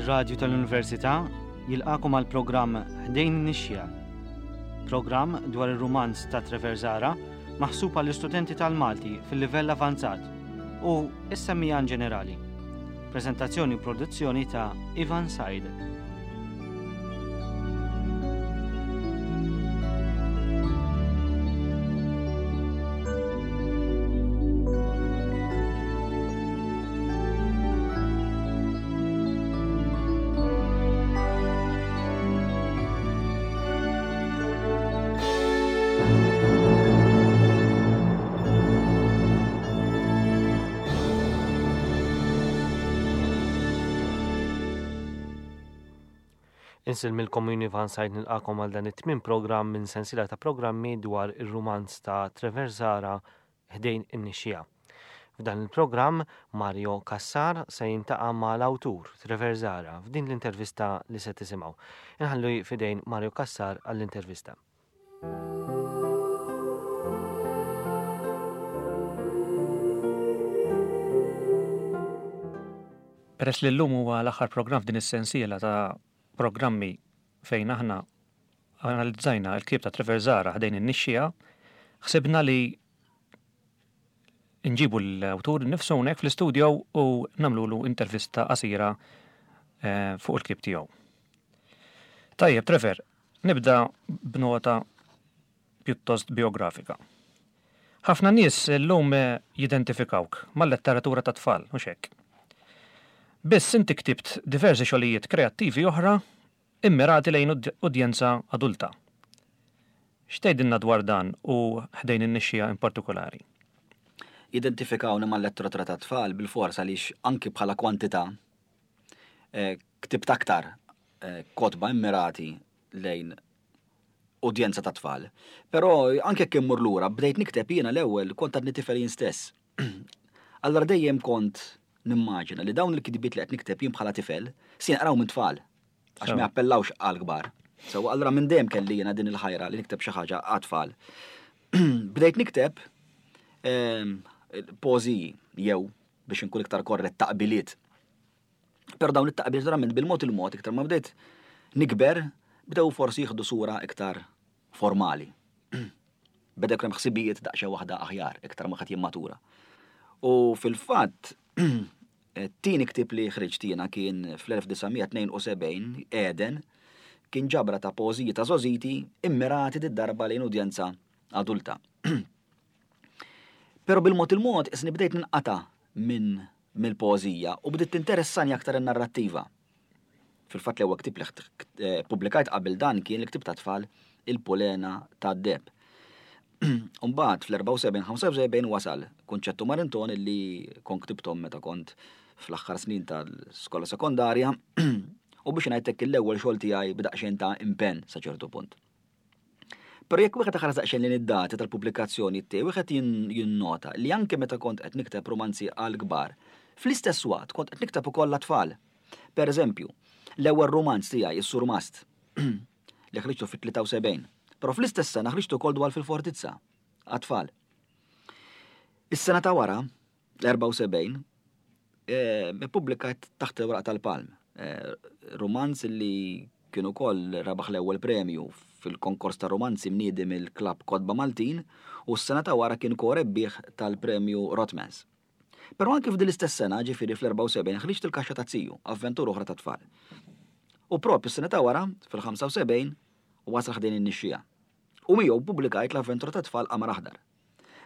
Ir-Radju tal-Università jilqagħkom għal programm Ħdejn in-Nixxiegħa. Programm dwar ir-rumanz ta' Trevor Zahra maħsub għall-istudenti tal-Malti fil-livell avanzat u s-semmiegħa in ġenerali. Preżentazzjoni u produzzjoni ta' Ivan Said. Insellmilkom jien Ivan Said nilqakom għal dan it-tmien programm minn sensiela ta' programmi dwar ir-rumanz ta' Trevor Zahra ħdejn in-nixxiegħa. F'dan il-programm Mario Cassar se jintaqa' ma' l-awtur Trevor Zahra f'din l-intervista li se tisimgħu. Inħallu f'idejn Mario Cassar għall-intervista. Peress li llum huwa l-aħħar programm f'din is-sensiela ta' programmi fejn aħna analizzajna l-ktieb ta' Trevor Zahra ħdejn in-nixxiegħa, ħsibna li nġibu l-awtur innifsu hawnhekk fl-istudio u nagħmlulu intervista qasira eh, fuq il-ktieb tiegħu. Tajjeb, Trevor, nibda b'nota pjuttost biografika. Ħafna nies illum eh, jidentifikawk mal-letteratura ta' tfal, mhux hekk. Biss inti ktibt diversi xogħlijiet kreattivi oħra immirati lejn udjenza adulta. X'tgħidilna dwar dan u ħdejn in-nixxiegħa in partikolari? Jidentifikawni mal-letteratura tat-tfal bilfors għaliex anki bħala kwantità eh, ktibt aktar eh, kotba immirati lejn udjenza ta' tfal. Però anke jekk immur lura, bdejt nikteb jiena l-ewwel kont għadni tifel jien stess. Allura dejjem kont nimmaġina li dawn il-kitbiet li qed nikteb jien bħala tifel se jinqraw minn tfal. Għax ma jappellawx għal kbar. So, allura minn dejjem kelli jiena din il-ħajra li nikteb xi ħaġa għat-tfal. Bdejt nikteb ehm, pożiji jew biex inkun iktar korrett taqbiliet. Però dawn it-taqbiliet verament bil-mod il-mod iktar ma bdejt nikber bdew forsi jieħdu sura iktar formali. Beda jkun hemm ħsibijiet daqsxejn waħda aħjar iktar ma ħadd jimmatura. U fil-fatt It-tieni ktieb li ħriġt jiena kien fl-1972, Eden, kien ġabra ta' poeżiji ta' żgħożiti immirati did-darba lejn udjenza adulta. Però bil-mod il-mod isni bdejt ninqata' minn mill-poeżija u bdiet tinteressani aktar in-narrattiva. Fil-fatt l-ewwel ktieb li eh, pubblikajt qabel dan kien il-ktieb ta' tfal Il-Pulena tad-Deheb. Umbagħad fl-74-75 wasal Kunċettu Marinton li kont ktibthom meta kont fl-aħħar snin tal-skola sekondarja u biex ngħidlek l-ewwel xogħol tiegħi b'daqsxejn ta' impenn sa ċertu punt. Però jekk wieħed iħares daqsxejn lejn id-dati tal-pubblikazzjoni tiegħi, wieħed jinnota li anke meta kont qed nikteb rumanzi għal kbar, fl-istess waqt kont qed nikteb ukoll għat-tfal. Per eżempju, l-ewwel rumanz tiegħi, Is-Surmast, li ħriġtu fit-73. Però fl-istess sena ħriġtu ukoll Dwal fil-Fortizza, għat-tfal. Is-sena ta' wara, l-74, eh, ippubblikajt Taħt il-Weraq tal-Palm, eh, rumanz li kien ukoll rebaħ l-ewwel premju fil-konkors ta' rumanzi mniedi mill-Klabb Kotba Maltin u s-sena ta' wara kien ko-rebbieħ tal-premju Rothmans. Però anki f'din l-istess sena, ġifieri fl-74, ħriġt Il-Kaxxa taz-Ziju, avventura oħra tat-tfal. U proprju s-sena ta' wara, fil-75, wasal ħdejn in-nixxiegħa. U miegħu ppubblikajt l-avventura tat-tfal Qamar Aħdar.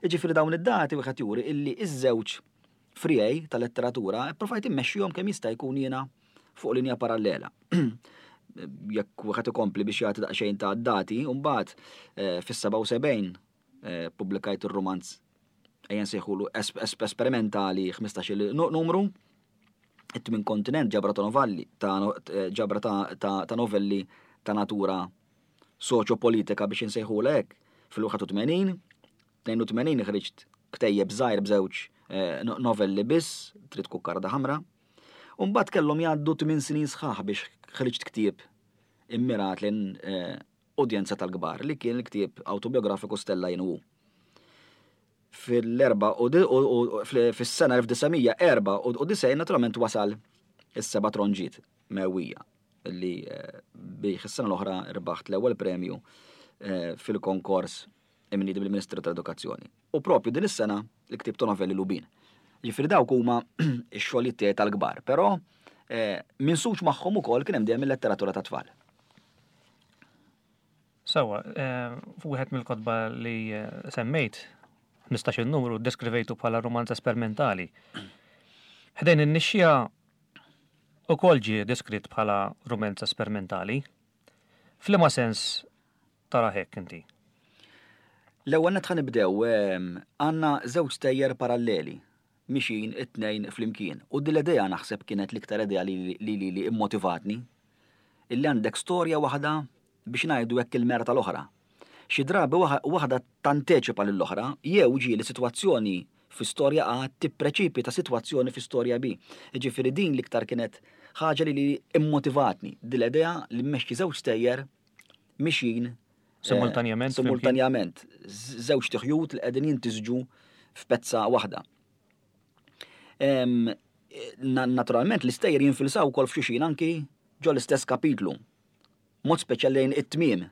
Jiġifieri dawn id-dati wieħed juri illi iż-żewġ friegħi ta' letteratura pprovajt immexxihom kemm jista' jkun jiena fuq linja parallela. Jekk wieħed ikompli biex jagħti daqsxejn ta' dati, mbagħad eh, fis-77 eh, pubblikajt ir-rumanz ejja nsejħulu esperimentali 15 numru, it-tmin kontinent ġabra ta' novelli, ta' eh, ġabra ta' novelli ta' natura soċjopolitika biex insejħulha hekk, fil-81, 82 ħriġt ktejjeb żgħir b'żewġ eh, novelli biss, Trid Kukkarda Ħamra. U mbagħad kellhom jgħaddu 8 snin sħaħ biex ħriġt ktieb immirat lejn eh, udjenza tal-kbar li kien il-ktieb awtobiografiku Stella Jien u Fil-erba u fis-sena 1994 naturalment wasal is-seba' tronġiet. Mewwija li eh, bih is-sena l-oħra rbaħt l-ewwel premju eh, fil-konkors imniedi mill-Ministeru tal-Edukazzjoni. U propju din is-sena l-ktieb ta' novelli Lubin. Ġifieri dawk huma x-xogħlijiet tiegħi tal-kbar, però eh, minsuġ magħhom ukoll kien hemm dejjem il-letteratura ta' tfal. Sewwa, eh, wieħed mill-kotba li eh, semmejt, 15 numru, deskrivejtu bħala romanz esperimentali. Ħdejn in-nixxija ukoll ġie deskritt bħala romanz esperimentali. F'liema sens tara hekk inti? L-ewwel nett ħa nibdew ehm, għandna żewġ stejjer paralleli mixin it-tnejn flimkien. U din l-idea naħseb kienet l-iktar idea li li li immotivatni illi għandek storja waħda biex ngħidu hekk il-mera tal-oħra. Xi drabi waħda tanteċipa lill-oħra jew ġieli sitwazzjoni fi storja A tippreċipita sitwazzjoni fi storja B. Jiġifieri din l-iktar kienet ħaġa li li immotivatni, din l-idea li mmexxi żewġ stejjer mixjin eh, Simultanjament. Simultanjament. Żewġ tiħjut li qegħdin jintisġu f'pezza waħda. Naturalment l-istejjer jinfilsaw ukoll f'xulxin anki ġo l-istess kapitlu. Mod speċjali lejn it-tmiem,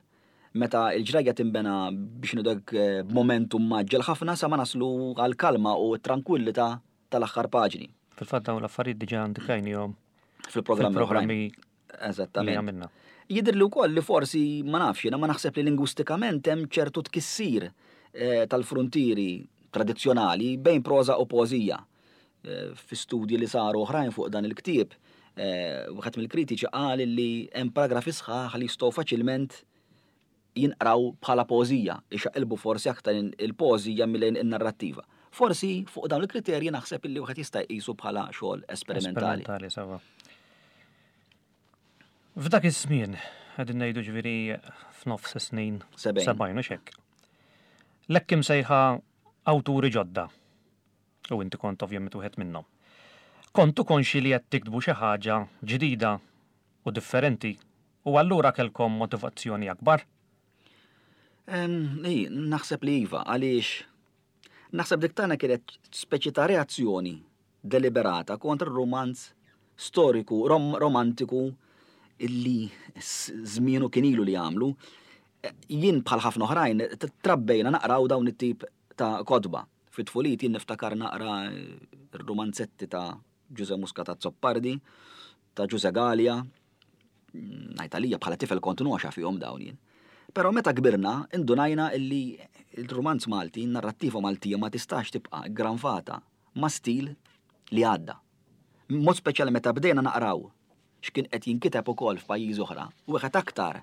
meta l-ġrajja tinbena biex ngħidu hekk eh, b'momentum mgħaġġel ħafna sa ma naslu għall-kalma u t-trankwillità tal-aħħar paġni. Fil-fatt dawn l-affarijiet diġà indikajnihom fil-programmi Eżattament. Li għamilna. Jidher li wkoll li forsi ma nafx jiena ma naħseb li lingwistikament hemm ċertu tkissir eh, tal-fruntieri tradizzjonali bejn proża u poeżija. Eh, fi studji li saru oħrajn fuq dan il-ktieb, eh, wieħed mill-kritiċi qal li hemm paragrafi sħaħ li jistgħu faċilment jinqraw bħala poeżija, ixaqilbu forsi aktar il-poeżija milli in-narrattiva. Forsi fuq dawn il-kriterji naħseb illi wieħed jista' jqisu bħala xogħol esperimentali. Esperimentali, sewwa. F'dak iż-żmien, qegħdin ngħidu ġifieri f'nofs is-snin 70 u x'hekk. L-hekk imsejħa awturi ġodda U inti kont ovvjament wieħed minnhom. Kontu konxji li qed tiktbu xi ħaġa ġdida u differenti u allura kellkom motivazzjoni akbar? Ii, naħseb li iva, għaliex naħseb dik tagħna kienet speċi ta' reazzjoni deliberata kontra r-rumanz storiku, rom romantiku illi żmienu kien ilu li għamlu. Jien bħal ħafna oħrajn trabbejna naqraw dawn it-tip ta' kotba. Fi tfuliti jien niftakar naqra r-rumanzetti ta' Ġuże Muscat Azzopardi, ta' Ġuże Galea, ngħid għalija bħala tifel kont noxa fihom dawn jien. Però meta kbirna indunajna illi il-rumanz Malti, n-narrattiva Maltija ma tistax tibqa' ggranfata ma' stil li għadda. Mod speċjali meta bdejna naqraw x'kien qed jinkiteb ukoll f'pajjiżi oħra, wieħed aktar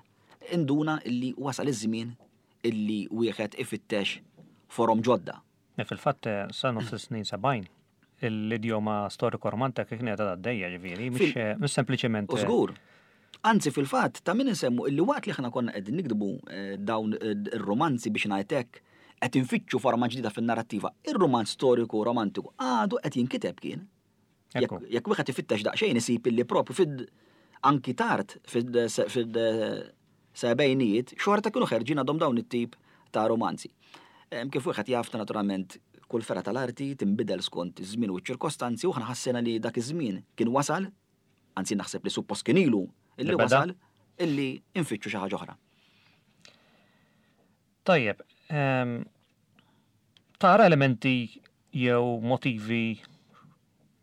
induna illi wasal iż-żmien illi wieħed ifittex forom ġodda. Fil-fatt, sa nofs is-snin 70, l-idjoma storico-romantika kienet għadha għaddejja, ġifieri, mhux sempliċement. U żgur. Anzi, fil-fatt, ta' min insemmu illi waqt li aħna konna qegħdin nikdbu dawn ir-romanzi biex ngħid hekk, qed infittxu forma ġdida fin-narrattiva, ir-romanz storiku romantiku għadu qed jinkiteb kien. Jekk wieħed ifittex daqsxejn isib illi propju fid anki tard fid-sebgħinijiet xorta kienu ħerġin għadhom dawn it-tip ta' romanzi. Kif wieħed jaf naturalment kull fergħa tal-arti tinbidel skont iż-żmien u ċ-ċirkostanzi u aħna ħassejna li dak iż-żmien kien wasal, anzi naħseb li suppost kien ilu illi wasal illi nfittxu xi ħaġa oħra. Tajjeb, tara elementi jew motivi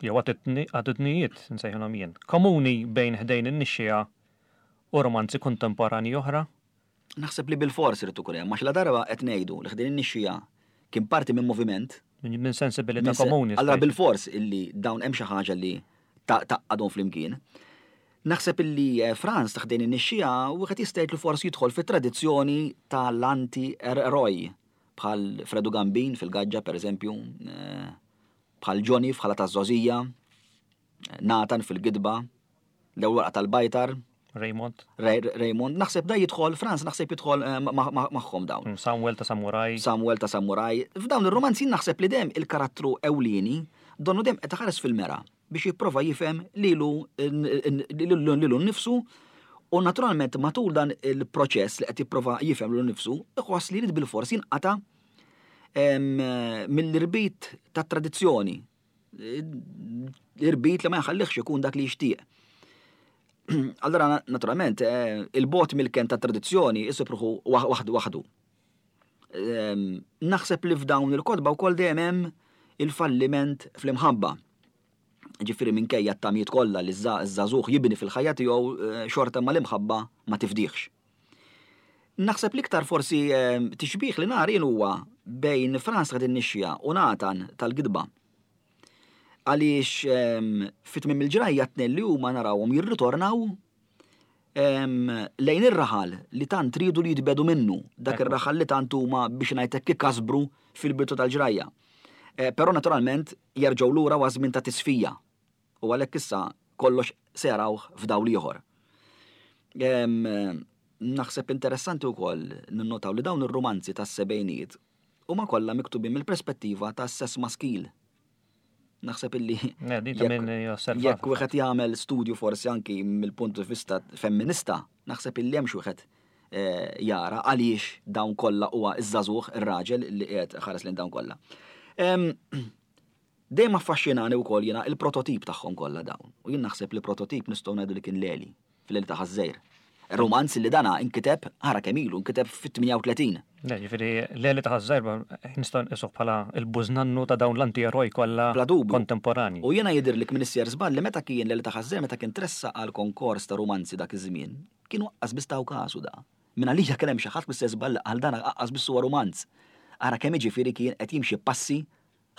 jew attitudnijiet, nsejħilhom jien, komuni bejn Ħdejn in-Nixxiegħa u romanzi kontemporanji oħra? Naħseb li bilfors irid ikun hemm, għax ladarba qed ngħidu li Ħdejn in-Nixxiegħa kien parti minn moviment. Minn sensibilità komuni. Allura bilfors illi dawn hemm xi ħaġa li tgħaqqadhom flimkien. Naħseb illi eh, Franz ta' Ħdejn in-Nixxiegħa wieħed jista' jgħid li forsi jidħol fit-tradizzjoni tal-anti-eroj bħal Fredu Gambin fil-Gaġġa pereżempju, eh, bħal Johnny f'Ħala taż-Żgħożija, Nathan fil-Gidba, l-ewwel warqa tal-Bajtar. Raymond. Raymond, naħseb da jidħol, Franz naħseb jidħol eh, magħhom dawn. Mm, Samuel ta' Samurai. Samuel ta' Samurai. F'dawn ir-romanzi naħseb li dem il-karattru ewlieni donnu dem qed iħares fil-mera biex jipprova jifhem lilu lilu nnifsu u naturalment matul dan il-proċess li qed jipprova jifhem lilu nnifsu, iħoss li jrid bilfors jinqata' mill-irbit tat-tradizzjoni, irbit li ma jħallihx ikun dak li jixtieq. Allora, naturalment, eh, il-bot mill-ken ta' tradizzjoni isib ruħu waħdu waħdu. Ehm, naħseb li f'dawn il-kotba wkoll dejjem hemm il-falliment fl-imħabba. Ġifieri minkejja t-tamiet kollha li ż-żagħżugħ jibni fil-ħajja tiegħu eh, xorta ma l-imħabba ma tifdihx. Naħseb l-iktar forsi ehm, tixbih li nar jien huwa bejn Franz ta' nixxija u Nathan tal-gidba. Għaliex ehm, fi tmiem il-ġrajja t-tnejn li huma narawhom jirritornaw ehm, lejn ir-raħal li tant riedu li jitbedu minnu, dak ir-raħal li tant huma biex ngħidlek ikasbru fil-bidu tal-ġrajja. Eh, però naturalment jerġgħu lura wa żmien ta' tisfija u għalhekk issa kollox se jarawh f'dawl ieħor. Ehm, naħseb interessanti wkoll ninnotaw li dawn ir-rumanzi tas-sebgħinijiet huma kollha miktubin mill-perspettiva tas-sess maskil. Naħseb illi jekk wieħed jagħmel studju forsi anki mill-punt di vista femminista, naħseb illi hemm xi wieħed eh, jara għaliex dawn kollha huwa iż-żagħżugħ ir-raġel li qiegħed ħares lejn dawn kollha. Dejjem affaxxinani wkoll jiena il-prototip tagħhom kollha dawn. U jien naħseb li prototip nistgħu ngħidu li kien Leli, fil-Leli ta' Ħaż-Żgħir. Rumanz li dana inkiteb, ara kemm ilu, inkiteb fit-38. Le, ġifieri Leli ta' Ħaż-Żgħir nistgħu nqisuh bħala l-bużnannu ta' dawn l-anti-eroj kollha kontemporanji. U jiena jidhirli minn issjer żball li meta kien Leli ta' Ħaż-Żgħir meta kien tressaq għal konkors ta' rumanzi dak iż-żmien, kienu aqqas biss taw kasu da. Minn għalija kien hemm xi ħadd missjer żball li qal dan aqqas biss huwa rumanz. Ara kemm jiġifieri kien qed jimxi passi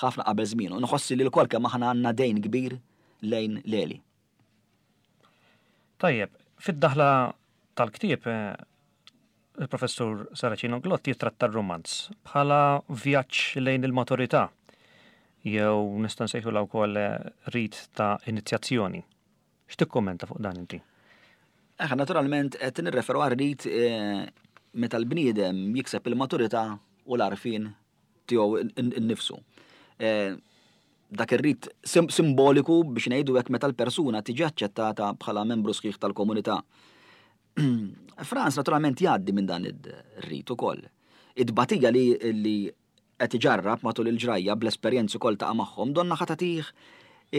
ħafna qabel żmienu. Nħoss li lkoll kemm aħna għandna dejn kbir lejn Leli. Tajjeb, fid-daħla tal-ktieb eh, il-professur Saracino Glott jitratta r-rumanz bħala vjaġġ lejn il-maturità jew nista' nsejħulha wkoll eh, rit ta' inizjazzjoni. X'tikkummenta fuq dan inti? Eħe, naturalment qed nirreferu għal rit eh, meta l-bniedem jikseb il-maturità u l-għarfien tiegħu nnifsu. Eh, dak ir-rit simboliku biex ngħidu hekk meta l-persuna tiġi aċċettata bħala membru sħiħ tal-komunità. Franz naturalment jgħaddi minn dan ir-rit ukoll. Id-batija li, li qed iġarrab matul il-ġrajja bl-esperjenzi koll taqa' magħhom donna ħa tagħtih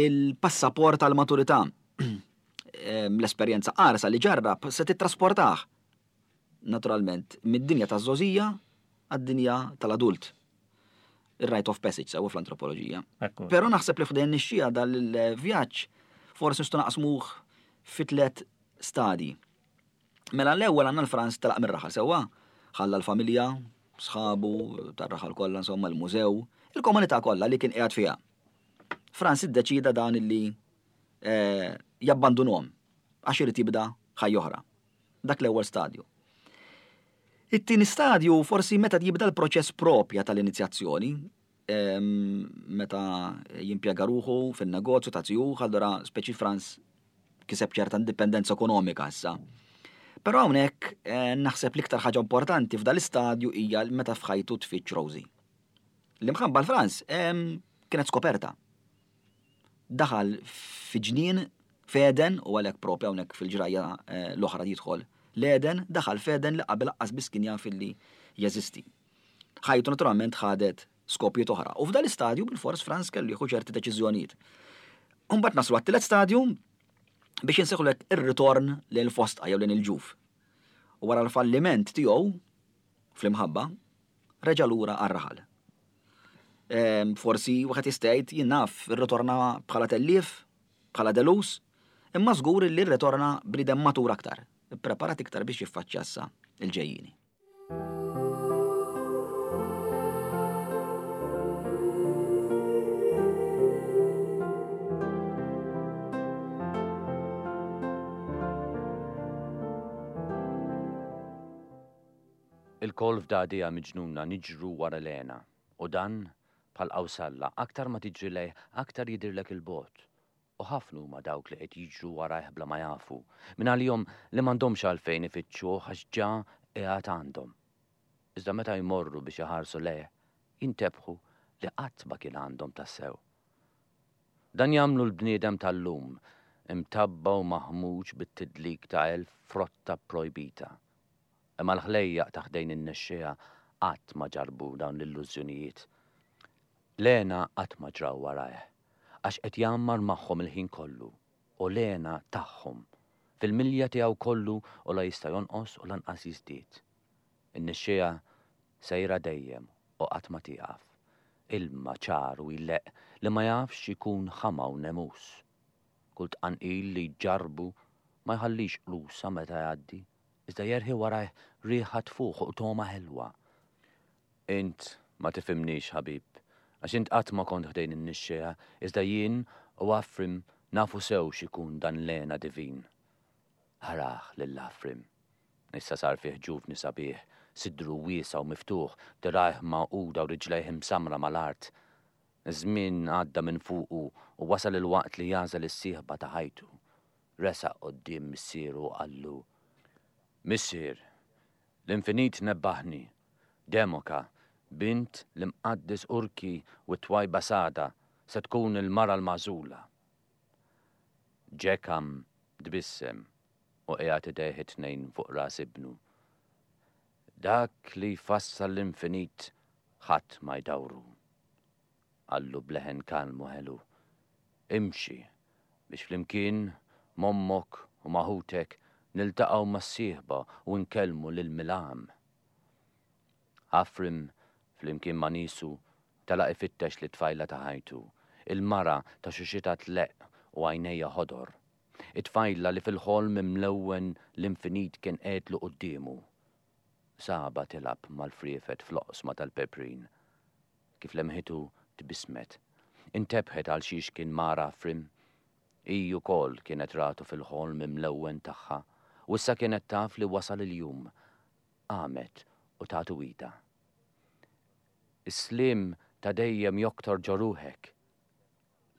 il-passaport tal-maturità. L-esperjenza qarsa li ġarrab se tittrasportah naturalment, mid-dinja taż-żgħożija għad-dinja tal-adult. Ir-rite of passage sewwa fl-antropoloġija. Però naħseb li f'dejn nixxija dal-vjaġġ forsi nistgħu naqsmuh fi tliet stadji. Mela l-ewwel għandna l-Franz telaq mir-raħal sewwa, ħalla l-familja, sħabu, tar-raħal kollha insomma l-mużew, il-komunità kollha li kien qiegħed fiha. Franz iddeċida dan illi eh, jabbandunhom għax irid jibda ħajja oħra. Dak l-ewwel stadju. It-tieni stadju forsi meta jibda l-proċess propja tal-inizjazzjoni, meta jimpjega ruħu fin-negozju ta' zijuh, allura speċi Franz kiseb ċerta indipendenza ekonomika issa. Però hawnhekk eh, naħseb l-iktar ħaġa importanti f'dal istadju hija meta f'ħajtu tfittx Rosie. L-imħabba l-Franz kienet skoperta. Daħal fi ġnien f'Eden u għalhekk propja hawnhekk fil-ġrajja eh, l-oħra jidħol l-Eden, daħal f'Eden li qabel aqqas biss kien jaf li jeżisti. Ħajtu naturalment ħadet skopijiet oħra. U f'dan l-istadju bil-fors Franz kellu jieħu ċerti deċiżjonijiet. Imbagħad naslu għat-tielet stadju biex inseħħulek ir-ritorn lejn il-fosdqa jew lejn il-ġuf. U wara l-falliment tiegħu fl-imħabba, reġa' lura għar-raħal. Ehm, forsi wieħed jista' jgħid jien naf irritorna bħala tellief, bħala delus, imma żgur li rritorna bniedem matur aktar, ippreparat iktar biex jiffaċċja issa il-ġejjieni. Ilkoll f'dagħdigħa miġnuna niġru wara l-hena, u dan, bħal qawsalla, aktar ma tiġri lejh aktar jidhirlek 'il bogħod. U ħafna huma dawk li qed jiġru warajh bla ma jafu, mingħalihom li m'għandhomx għalfejn ifittxuh għax ġa qiegħed għandhom. Iżda meta jmorru biex iħarsu lejh, jintebħu li qatt ma kien għandhom tassew. Dan jagħmlu l-bniedem tal-lum, imtabba' u maħmuġ bit-tidlik ta' elf frotta pprojbita. Imma l-ħlejjaq ta' ħdejn in-nexxiegħa qatt ma ġarrbu dawn l-illużjonijiet. L-hena qatt ma ġraw warajh, għax qed jgħammar magħhom il-ħin kollu, u l-hena tagħhom. fil-milja tiegħu kollu u la jista' jonqos u lanqas jiżdied. In-nixxiegħa sejra dejjem u qatt ma tieqaf. Ilma ċar u jleqq li ma jafx ikun ħama u nemus. Kull tqanqil li jġarrbu ma jħallix qlusa meta jgħaddi, iżda jerħi warajh riħa tfuħ u togħma ħelwa. Int ma tifhimnix, ħabib, għax int qatt ma kont ħdejn in-nixxiegħa, iżda jien u Afrim nafu sew x'ikun dan l-hena divin. Arah lil Afrim. Issa sar fih ġuvni sabiħ, sidru wiesa' u miftuħ, dirgħajh magħquda u riġlejh imsammra mal-art. Iż-żmien għadda minn fuqu u wasal il-waqt li jagħżel is-sieħba ta' ħajtu. Resaq quddiem missieru u qallu, Missier, l-infinit nebbaħni. Demoka, bint l-imqaddes Urki u t-twajba Sada, se tkun il-mara l-magħżula. Ġekam tbissem u qiegħed idejh it-tnejn fuq ras ibnu. Dak li jfassal l-infinit ħadd ma jdawru. Qallu b'leħen kalm u ħelu. Imxi biex flimkien m'ommok u ma' ħutek niltaqgħu mas-sieħba u nkellmu lil Milam. Afrim, flimkien ma' niesu, telaq ifittex lit-tfajla ta' ħajtu, il-mara ta' xuxitha tleqq u għajnejha ħodor. It-tfajla li fil-ħolm imlewwen l-infinit kien qegħedlu quddiemu. Sabha tilgħab mal-friefet fl-oqsma tal-peprin. Kif lemħitu tbissmet. Intebħet għal xiex kien mar Afrim. Hi wkoll kienet ratu fil-ħolm imlewwen tagħha u issa kienet taf li wasal il-jum. Qamet u tatu idha. Is-sliem ta' dejjem joktor ġo ruħek!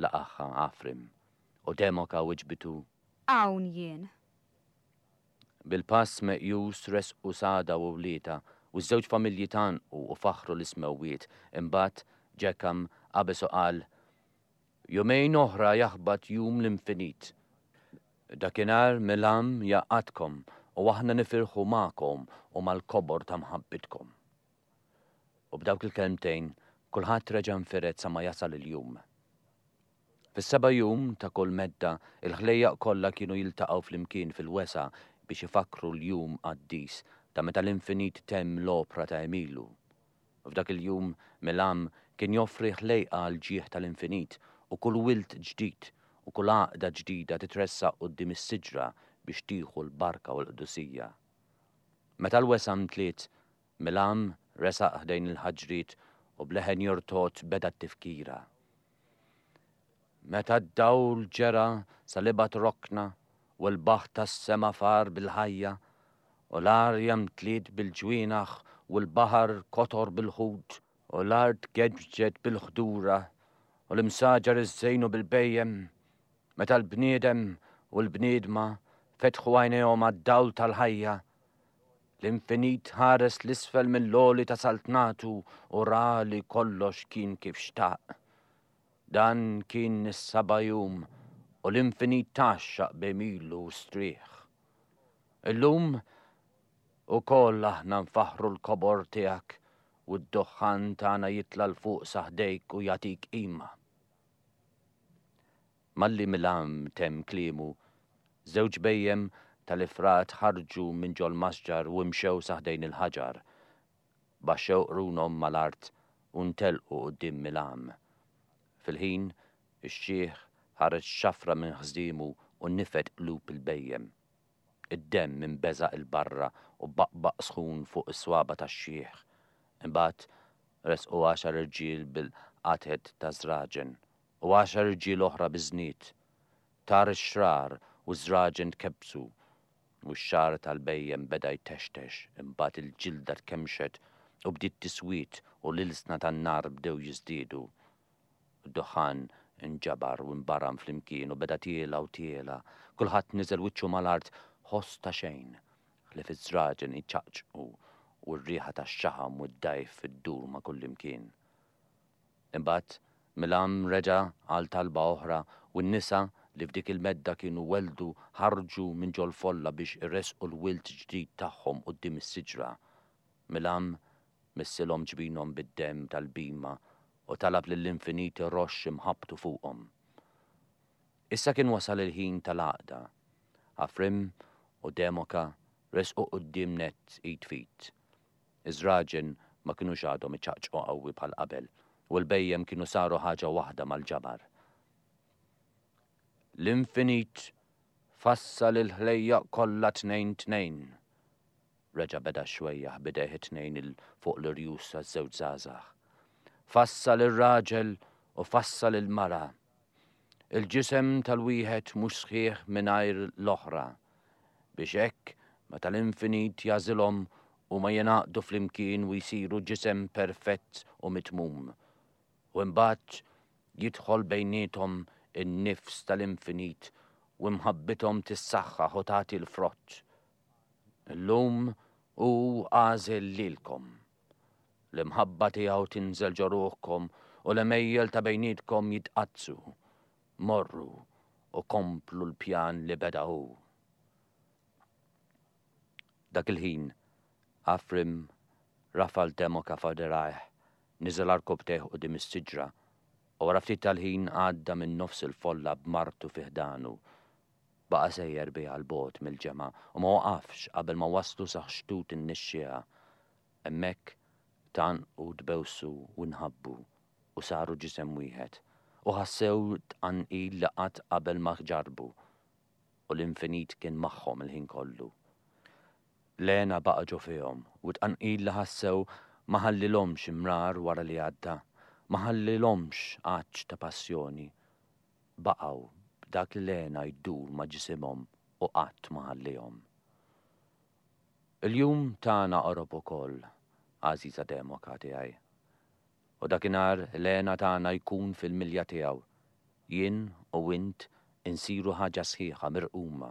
Laqagħha Afrim, u Demoka wiġbitu. Hawn jien. Bil-pass meqjus resqu Sada u wliedha, u ż-żewġ familji tgħannqu u faħħru lis-smewwiet. Imbagħad Ġekam qabeż u qal, Jumejn oħra jaħbat jum l-infinit. Dakinhar Milam jgħaqqadkom u aħna nifirħu magħkom u mal-kobor ta' mħabbitkom. U b'dawk il-kelmtejn kulħadd reġa' nfired sa ma jasal il-jum. Fis-seba' jum ta' kull medda il-ħlejjaq kollha kienu jiltaqgħu flimkien fil-wesgħa biex ifakkru l-jum qaddis ta' meta l-infinit temm l-opra ta' għemilu. F'dak il-jum Milam kien joffri ħlejqa għall-ġieħ tal-infinit u kull wild ġdid u kull għaqda ġdida titressaq quddiem is-siġra biex tieħu l-barka u l-qdusija. Meta l-wesgħa mtliet, Milam resaq ħdejn il-ħaġriet u b'leħen jortod beda t-tifkira. Meta d-dawl ġera sal-ibgħad rokna u l-baħħ tas-sema far bil-ħajja, u l-arja mtliet bil-ġwienaħ u l-baħar kotor bil-ħut, u l-art geġġet bil-ħdura u l-imsaġar iżżejnu bil-bhejjem, meta l-bniedem u l-bniedma fetħu għajnejhom għad-dawl tal-ħajja, l-infinit ħares 'l isfel mill-għoli ta' saltnatu u ra li kollox kien kif xtaq. Dan kien is-saba' jum u l-infinit tgħaxxaq b'għemilu u strieħ. Illum ukoll aħna nfaħħru l-kobor tiegħek u d-duħħan tagħna jitla' 'l fuq sa ħdejk u jagħtik qima. Malli Milam temm kliemu, żewġ bhejjem tal-ifrat ħarġu minn ġol-masġar u imxew sa ħdejn il-ħaġar. Baxxew qrunhom mal-art u ntelqu quddiem Milam. Fil-ħin, ix-xiħ ħareġ xafra minn ħżiemu u nifed qlub il-bhejjem. Id-demm inbeżaq 'il barra u baqbaq sħun fuq is-swaba' tax-xiħ. Imbagħad resqu għaxar irġiel bil-qatet ta' żraġen u għaxar irġiel oħra biż-żnied. Tar ix-xrar u ż-żraġen tkebbsu u x-xagħar tal-bhejjem beda jtextex, imbagħad il-ġilda tkemmxet u bdiet tiswied u l-ilsna tan-nar bdew jiżdiedu. Id-duħħan inġabar u nbaram flimkien u beda tiela' u tiela'. Kulħadd niżel wiċċu mal-art, ħoss ta' xejn, ħlief iż-żraġen iċaqċqu u r-riħa tax-xaħam u d-dgħajf iddur ma' kullimkien. Imbagħad Milam reġa' għal talba oħra u n-nisa li f'dik il-medda kienu welldu ħarġu minn ġol-folla biex iressqu l-wild ġdid tagħhom quddiem is-siġra. Milam missilhom ġbinhom bid-demm tal-bhima u talab lill-Infinit iroxx imħabbtu fuqhom. Issa kien wasal il-ħin tal-għaqda. Afrim u Demoka resqu quddiem nett id f'id. Iż-żraġen ma kinux għadhom iċaqċqu qawwi bħal qabel u l-bhejjem kienu saru ħaġa waħda mal-ġabar. L-infinit fassal il-ħlejjaq kollha tnejn tnejn. Reġa' beda x-xwejjaħ b'idejh it-tnejn 'il fuq l-irjus taż-żewġ żgħażagħ. Fassal ir-raġel u fassal il-mara. Il-ġisem tal-wieħed mhux sħiħ mingħajr l-oħra, biex hekk meta l-infinit jagħżilhom huma jingħaqdu flimkien u jsiru ġisem perfett u mitmum. U imbagħad jidħol bejniethom in-nifs tal-infinit u imħabbithom tissaħħaħ u tagħti l-frott. Illum hu għażel lilkom. L-imħabba tiegħu tinżel ġo ruħkom u l-għemejjel ta' bejnietkom jitqaddsu. Morru u komplu l-pjan li beda hu. Dak il-ħin, Afrim rafa' l-Demoka f'dirgħajh, niżel għarkubbtejh quddiem is-siġra, u wara ftit tal-ħin għadda minn nofs il-folla b'martu fi ħdanu. Baqa' sejjer biha 'l bogħod mill-ġemgħa u ma waqafx qabel ma waslu sa xtut in-nixxiegħa. Hemmhekk tgħannqu, tbewsu u nħabbu u saru ġisem wieħed u ħassew tqanqil li qatt qabel ma ġarrbu u l-infinit kien magħhom il-ħin kollu. L-hena baqa' ġo fihom u t-tqanqil li ħassew ma ħallilhomx imrar wara li għadda, ma ħallilhomx għatx ta' passjoni. Baqgħu b'dak l-hena jdur ma' ġisimhom u qatt ma ħallihom. Il-jum tagħna qorob ukoll, għażiża Demoka tiegħi. U dakinhar l-hena tagħna jkun fil-milja tiegħu. Jien u int insiru ħaġa sħiħa mirquma,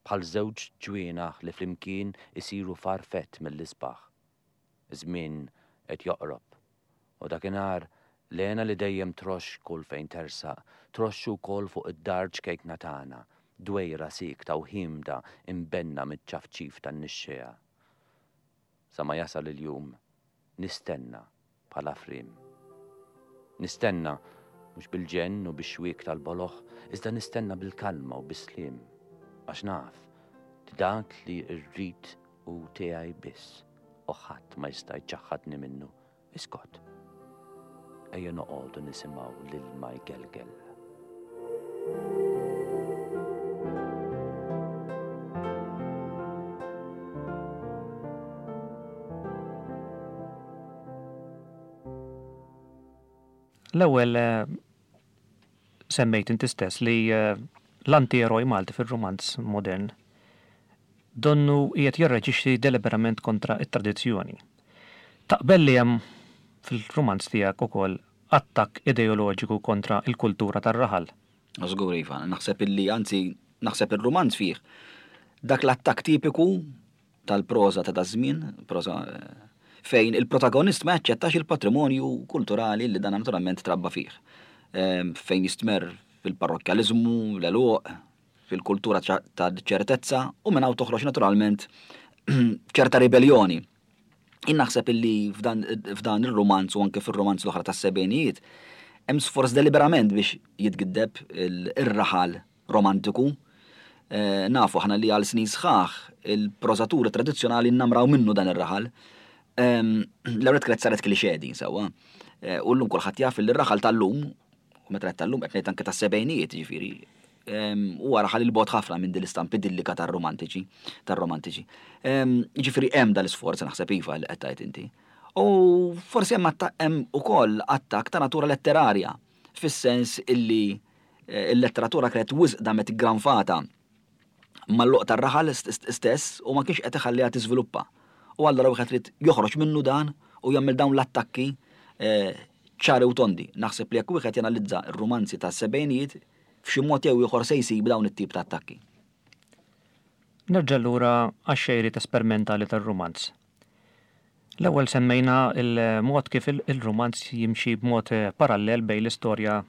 bħal żewġ ġwienaħ li flimkien isiru farfett mill-isbaħ. Iż-żmien qed joqrob. U dakinhar, l-hena li dejjem troxx kull fejn tersaq, troxx ukoll fuq id-dar ċkejkna tagħna, dwejra siekta u ħiemda imbenna miċ-ċafċif tan-nixxiegħa. Sa ma jasal il-jum, nistenna bħal Afrim. Nistenna, mhux bil-ġenn u bix-xwiek tal-boloh, iżda nistenna bil-kalma u bis-sliem, għax naf li dak li rrid hu tiegħi biss u ħadd ma jista' jċaħħadni minnu. Iskot. Ejja noqogħdu nisimgħu l-ilma jgelgel. L-ewwel eh, semmejt inti stess li eh, l-anti-eroj Malti fir-rumanz modern donnu qiegħed jirreġixxi deliberament kontra t-tradizzjoni. Taqbel li hemm fil-rumanz tiegħek ukoll attakk ideoloġiku kontra l-kultura tar-raħal? Żgur iva, naħseb illi anzi naħseb ir-rumanz fih dak l-attakk tipiku tal-proża ta' daż-żmien, proża fejn il-protagonist ma jaċċettax il-patrimonju kulturali li dan naturalment trabba fih. Fejn jistmerr fil-parrokkjaliżmu, l-għeluq, fil-kultura ta' ċertezza u minn hawn toħroġ naturalment ċerta ribelljoni. Jien naħseb illi f'dan ir-rumanz u anke fir-rumanz l-oħra tas-sebgħinijiet hemm sforz deliberament biex jitgiddeb ir-raħal romantiku. Eh, nafu aħna li għal snin sħaħ il-prożaturi tradizzjonali nnamraw minnu dan ir-raħal. Ehm, l-ewwel kienet saret klixè din sewwa. Eh, u llum kulħadd jaf li r-raħal tal-lum, u meta tal-lum qed ngħid anke tas-sebgħinijiet ġifieri, ehm, huwa raħal il-bogħod ħafna minn din l-istampa idillika tar-romantiċi, tar-romantiċi. Ehm, ġifieri hemm dal-isforz naħseb iva li qed tgħid inti. U forsi hemm hemm ukoll attakk ta' natura letterarja, fis-sens illi eh, il-letteratura kienet wisq damet iggranfata mal-loq tar-raħal stess u ma kienx qed iħalliha tiżviluppa. U allura wieħed irid joħroġ minnu dan u jagħmel dawn l-attakki eh, ċari u tondi. Naħseb li jekk wieħed janalizza r-rumanzi tas-sebgħinijiet f'xi mod jew ieħor se jsib dawn it-tip ta' attakki. Nerġa' lura għax-xejriet esperimentali tar-rumanz. L-ewwel semmejna l-mod kif il-rumanz jimxi b'mod parallel bejn l-istorja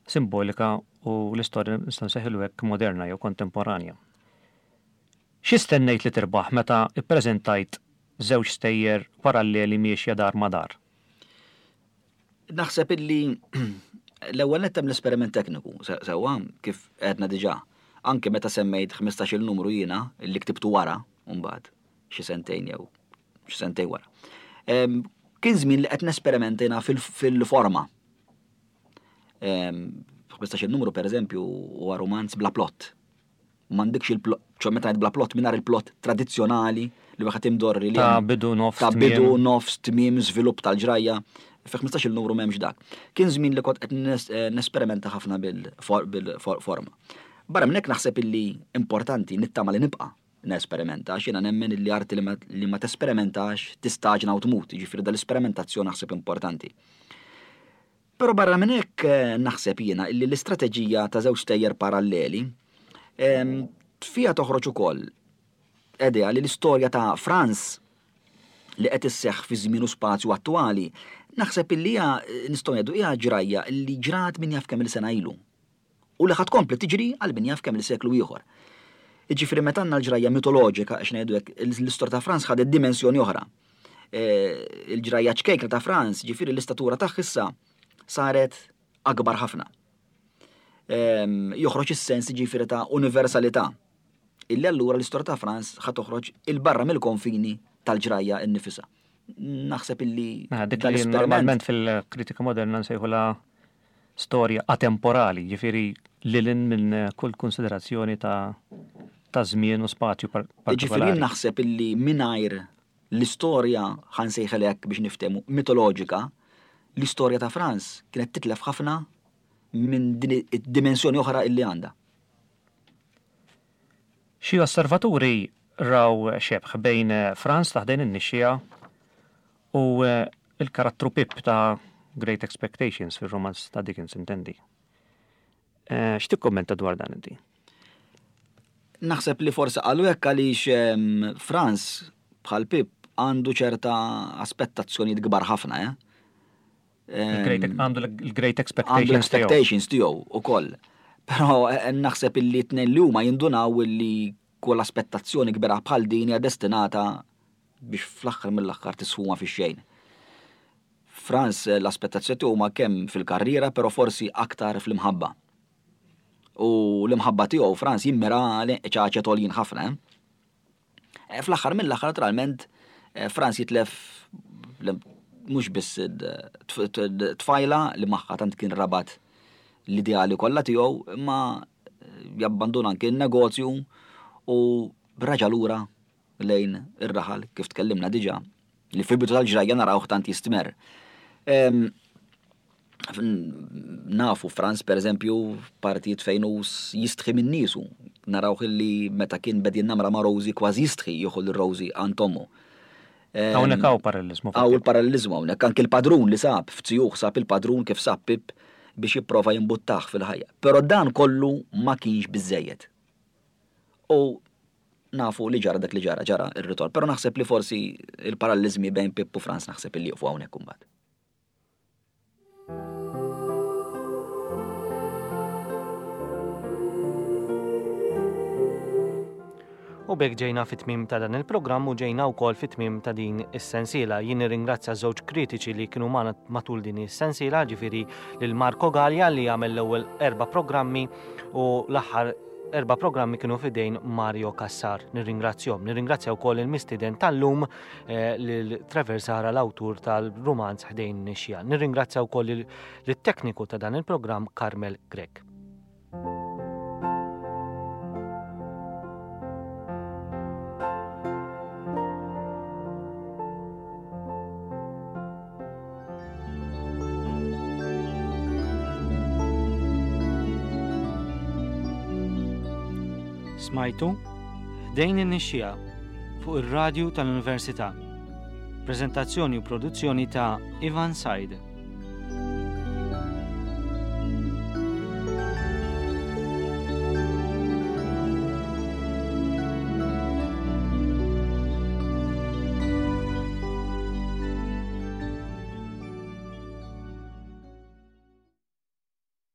simbolika u l-istorja nistgħu nsejħilu hekk moderna jew kontemporanja. Xi stennejt li tirbaħ meta ppreżentajt żewġ stejjer paralleli miexja dar ma' dar? Naħseb illi l-ewwel nett hemm l-esperiment tekniku, sewwa kif għedna diġà. Anke meta semmejt 15-il numru jiena li ktibtu wara, mbagħad xi sentejn jew xi sentejn wara. Kien żmien li qed nesperimenta jiena fil-forma. 15-il numru pereżempju huwa rumanz bla plott. M'għandekx il-plot, ċo meta ngħid bla plott mingħajr il-plott tradizzjonali li wieħed imdorri li Ta' bidu nofs ta' bidu nofs tmiem żvilupp tal-ġrajja. Fi 15-il numru m'hemmx dak. Kien żmien li kont qed eh, nesperimenta ħafna bil-forma. Barra minn hekk naħseb illi importanti nittama li nibqa' nesperimenta għax jiena nemmen illi arti li ma tesperimentax tistaġna u tmut, jiġifieri dal-isperimentazzjoni naħseb importanti. Però barra minn hekk eh, naħseb jiena illi l-istrateġija ta' żewġ stejjer paralleli ehm, fiha toħroġ ukoll idea li l-istorja ta' Franz li qed isseħħ fi żmien u spazju attwali, naħseb illi hija nistgħu ngħidu hija ġrajja li ġrat min jaf kemm il-sena ilu. U li ħa tkompli tiġri għal min jaf kemm-il seklu ieħor. Jiġifieri meta għandna l-ġrajja mitoloġika, għax ngħidu hekk, l-istorja ta' Franz ħadet dimensjoni oħra. E, il-ġrajja ċkejkna ta' Franz, ġifieri l-istatura tagħha issa saret akbar ħafna. Joħroġ is-sens ġifieri ta' universalità. Illi allura l-istorja ta' Franz ħa toħroġ il-barra mill-konfini tal-ġrajja innifisha. Naħseb illi. Mela, dik li normalment fil-kritika moderna nsejħula storja atemporali, jiġifieri lil hinn minn kull konsiderazzjoni ta' ta' żmien u spazju partikolari. Jiġifieri naħseb illi mingħajr l-istorja ħa nsejħilha hekk biex niftehmu mitoloġika, l-istorja ta' Franz kienet titlef ħafna minn din id-dimensjoni oħra illi għandha. Xi osservaturi raw xebh bejn Franz ta' ħdejn in-nixxiegħa u l-karattru Pip ta' Great Expectations fir-rumanz ta' Dickens intendi. Eh, x'tikkummenta dwar dan inti? Naħseb li forsi qalu hekk għaliex ehm, Franz bħal Pip għandu ċerta aspettazzjonijiet kbar ħafna, eh? Ehm, għandu l-great expectations. Għandu l-expectations tiegħu ukoll. Però eh, naħseb illi tnejn li huma jindunaw illi kull aspettazzjoni kbira bħal din hija destinata biex fl-aħħar mill-aħħar tisfuma fix-xejn. Franz eh, l-aspettazzjoni tiegħu ma kemm fil-karriera, però forsi aktar fl-imħabba. U l-imħabba tiegħu Franz jimmira ċaċet għoljin ħafna. Eh? Eh, fl-aħħar mill-aħħar naturalment eh, Franz jitlef mhux biss tfajla li magħha tant kien rabat l-ideali kollha tiegħu, imma eh, jabbanduna anke n-negozju u raġa lura lejn ir-raħal kif tkellimna diġà li fil-bidu tal-ġrajja narawh tant jistmerr. Nafu Franz per eżempju partijiet fejn hu jistħi minn niesu. Narawh illi meta kien bed jinnamra ma' Rosie kważi jistħi jieħu lil Rosie għand ommu. Hawnhekk hawn paralleliżmu. Hawn il-paralleliżmu hawnhekk anki l-padrun li sab f'zijuh sab il-padrun kif sab Pip biex jipprova jimbuttah fil-ħajja. Però dan kollu ma kienx biżżejjed. U nafu li ġara dak li ġara, ġara ir-ritorn. Però naħseb li forsi il-paralleliżmi bejn Pip u Franz naħseb li jieqfu hawnhekk imbagħad. U b'hekk ġejna fit-tmiem ta' dan il-programm u ġejna wkoll fit-tmiem ta' din is-sensiela. Jien nirringrazzja żewġ kritiċi li kienu magħna matul din is-sensiela, ġifieri lil Marco Gallia li għamel l-ewwel erba' programmi u l-aħħar erba' programmi kienu fidejn Mario Cassar. Nirringrazzjahom. Nirringrazzja wkoll il-mistieden tal-lum eh, lil Trevor Zahra l-awtur tal-rumanz Ħdejn Nixja. Nirringrazzja wkoll lit-tekniku ta' dan il-programm Carmel Grech. Smajtu Ħdejn in-Nixxiegħa fuq ir-radju tal-Università. Preżentazzjoni u produzzjoni ta' Ivan Said.